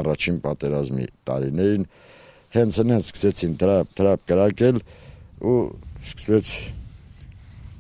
առաջին պատերազմի տարիներին հենց սկսեցին տրապ կրակել ու սկսվեց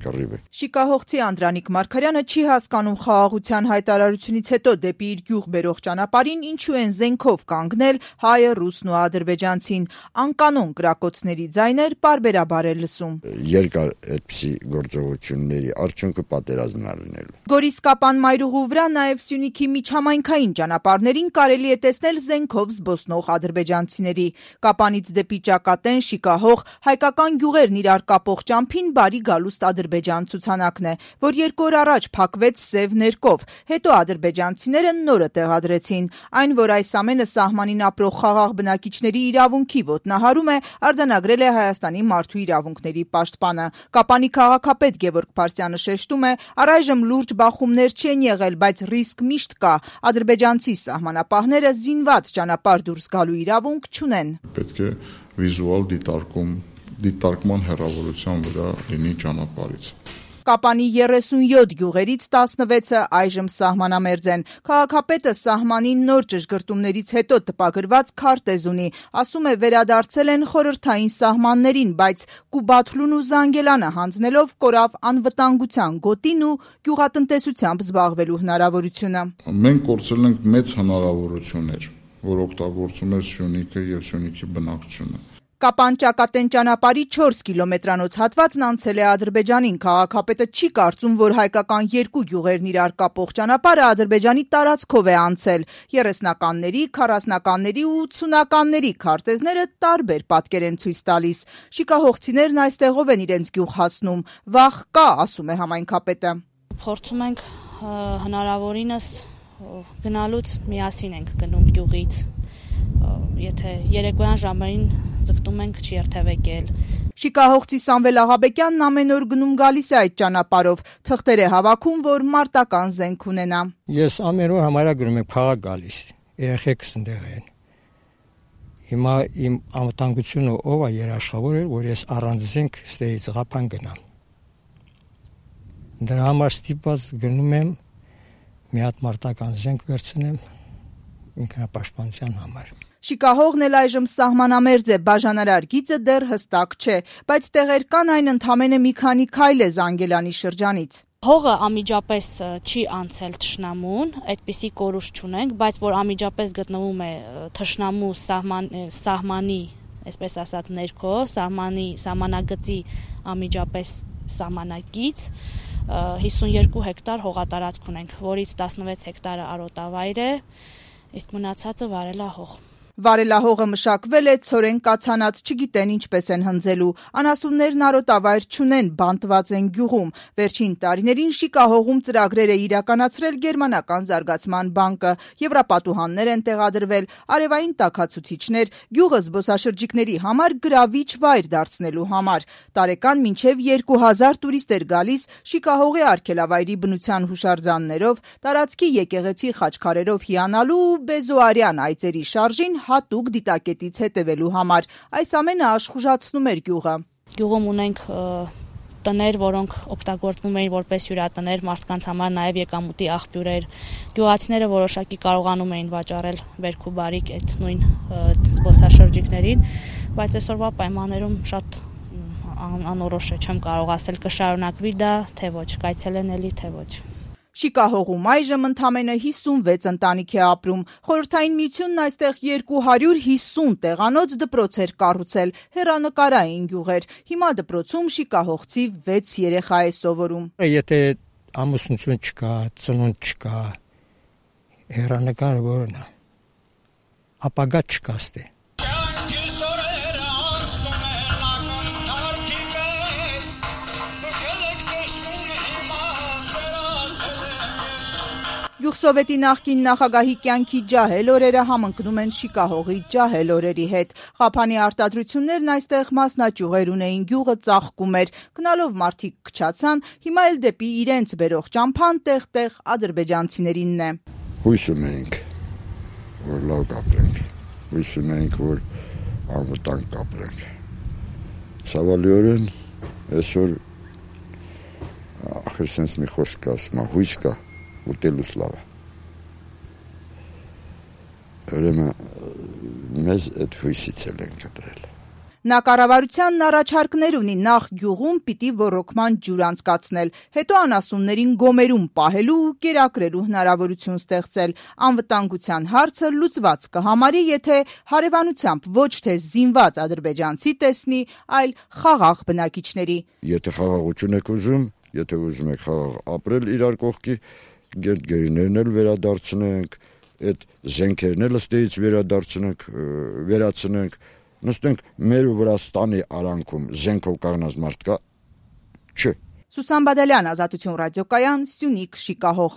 կռիվը։ Շիկահողցի Անդրանիկ Մարգարյանը չի հասկանում խաղաղության հայտարարությունից հետո դեպի իր գյուղ բերող ճանապարհին ինչու են զենքով կանգնել հայը, ռուսն ու ադրբեջանցին։ Անկանոն կրակոցների ձայներ պարբերաբար է լսում։ Երկար այդպիսի գործողությունների արդյունքը պատերազմն է լինելու։ Գորիս-Կապան մայրուղու վրա նաև Սյունիքի միջհամայնքային ճանապարհներին կարելի է տեսնել զենքով զբոսնող ադրբեջանցիների։ Կապանից դեպի Ճակատեն, Շիկահող, հայկական գյուղերն իրար կապող ճամփին բարի գալուստ ադրբեջան ցուցանակն է, որ 2 օր առաջ փակվեց սև ներկով, հետո ադրբեջանցիները նորը տեղադրեցին։ Այն, որ այս ամենը սահմանին ապրող խաղաղ բնակիչների իրավունքի ոտնահարում է, արձանագրել է Հայաստանի մարդու իրավունքների պաշտպանը։ Կապանի քաղաքապետ Գևորգ Փարսյանը շեշտում է, առայժմ լուրջ բախումներ չեն եղել, բայց ռիսկ միշտ կա։ Ադրբեջանցի սահմանապահները զինված ճանապարհ դուրս գալու իրավունք չունեն։ Պետք է վիզուալ դիտարկման հեռավորության վրա լինի ճանապարհից։ Կապանի 37 գյուղերից 16-ը այժմ սահմանամերձ են։ Քաղաքապետը սահմանին նոր ճշգրտումներից հետո տպագրված քարտեզ ունի, ասում է վերադարձել են խորհրդային սահմաններին, բայց Կուբաթլուն ու Զանգելանը հանձնելով կորավ անվտանգության գոտին ու գյուղատնտեսությամբ զբաղվելու հնարավորությունը։ Մենք կորցրել ենք մեծ հնարավորություններ, որ օգտագործում էր Սյունիքը եւ Սյունիքի բնակչությունը։ Կապան-Ճակատեն ճանապարհի 4 կիլոմետրանոց հատվածն անցել է Ադրբեջանին։ Քաղաքապետը չի կարծում, որ հայկական երկու գյուղերն իրար կապող ճանապարհը Ադրբեջանի տարածքով է անցել։ 30-ականների, 40-ականների ու 80-ականների քարտեզները տարբեր պատկեր են ցույց տալիս։ Շիկահողցիներն այստեղով են իրենց գյուղ հասնում։ Վախ կա, ասում է համայնքապետը։ Փորձում ենք հնարավորինս գնալուց միասին ենք գնում գյուղից։ Եթե երեկոյան ժամերին ձգտում ենք չերթևեկել։ Շիկահողցի Սամվել Աղաբեկյանն ամեն օր գնում գալիս է այդ ճանապարհով, թղթեր է հավաքում, որ մարտական զենք ունենա։ Ես ամեն օր համարյա գնում եմ քաղաք գալիս, երեխեքս ընդեղ են։ Հիմա իմ անվտանգությունը ով է երաշխավորել, որ ես առանց զենք ստեից Ղափան գնամ։ Դրա համար ստիպված գնում եմ մի հատ մարտական զենք վերցնեմ ինքնապաշտպանության համար։ Շիկահողն էլ այժմ սահմանամերձ է, բաժանարար գիծը դեռ հստակ չէ, բայց տեղեր կան այն ընդամենը մի քանի քայլ է Զանգելանի շրջանից։ Հողը անմիջապես չի անցել թշնամուն, այդպիսի կորուստ չունենք, բայց որ անմիջապես գտնվում է թշնամու սահմանի, այսպես ասած ներքո, սահմանագծի անմիջապես սահմանակից 52 հեկտար հողատարածք ունենք, որից 16 հեկտարը արոտավայր է, իսկ մնացածը վարելահող։ Վարելահողը մշակվել է, ցորեն կացանած, չգիտեն ինչպես են հնձելու։ Անասուններն արոտավայր չունեն, բանտված են գյուղում։ Վերջին տարիներին Շիկահողում ծրագրեր է իրականացրել Գերմանական զարգացման բանկը, եվրապատուհաններ են տեղադրվել, արևային տաքացուցիչներ, գյուղը զբոսաշրջիկների համար գրավիչ վայր դարձնելու համար։ Տարեկան մինչև 2000 տուրիստ էր գալիս Շիկահողի արգելավայրի բնության հուշարձաններով, տարածքի եկեղեցի խաչքարերով հիանալու ու բեզոարյան այծերի շարժին հատուկ դիտակետից հետևելու համար։ Այս ամենը աշխուժացնում էր գյուղը։ Գյուղում ունենք տներ, որոնք օգտագործվում էին որպես հյուրատներ, մարդկանց համար նաև եկամուտի աղբյուրեր։ Գյուղացիները որոշակի կարողանում էին վաճառել բերք ու բարիք այդ նույն զբոսաշրջիկներին, բայց այսօրվա պայմաններում շատ անորոշ է, չեմ կարող ասել կշարունակվի դա, թե ոչ, կայցելենելի, թե ոչ։ Շիկահողում այժմ ընդամենը 56 ընտանիք է ապրում։ Խորհրդային միությունն այստեղ 250 տեղանոց դպրոց էր կառուցել, հեռանկարային գյուղեր։ Հիմա դպրոցում շիկահողցի 6 երեխա է սովորում։ Եթե ամուսնություն չկա, ծնունդ չկա, հեռանկարը որն է, ապագա չկա ստե։ Գյուղսովետի նախկին նախագահի կյանքի ջահել օրերը համընկնում են Շիկահողի ջահել օրերի հետ։ Ղափանի արտադրություններն այստեղ մասնաճյուղեր ունեին, գյուղը ծաղկում էր, գնալով մարդիկ քչացան, հիմա էլ դեպի իրենց բերող ճամփան տեղ-տեղ ադրբեջանցիներինն է։ Հույս ունենք, որ լավ կապրենք, հույս ունենք, որ անվտանգ կապրենք։ Ցավալիորեն այսօր ախր sense մի խոսք ասում, հույս կա, ուտելուց լավ է։ Ուրեմն մեզ այդ հույսից էլ են կտրել։ Նա կառավարությանն առաջարկներ ունի նախ գյուղում պիտի ոռոգման ջուր անցկացնել, հետո անասուններին գոմերում պահելու ու կերակրելու հնարավորություն ստեղծել։ Անվտանգության հարցը լուծված կհամարի, եթե հարևանությամբ ոչ թե զինված ադրբեջանցի տեսնի, այլ խաղաղ բնակիչների։ Եթե խաղաղություն եք ուզում, եթե ուզում եք խաղաղ ապրել իրար կողքի, գերներն էլ վերադարձնենք, այդ զենքերն էլ ըստեից վերացնենք, նստենք մեր ու Վրաստանի արանքում զենքով կանգնած մարդ կա, չէ։ Սուսան Բադալյան, Ազատություն ռադիոկայան, Սյունիք, Շիկահող։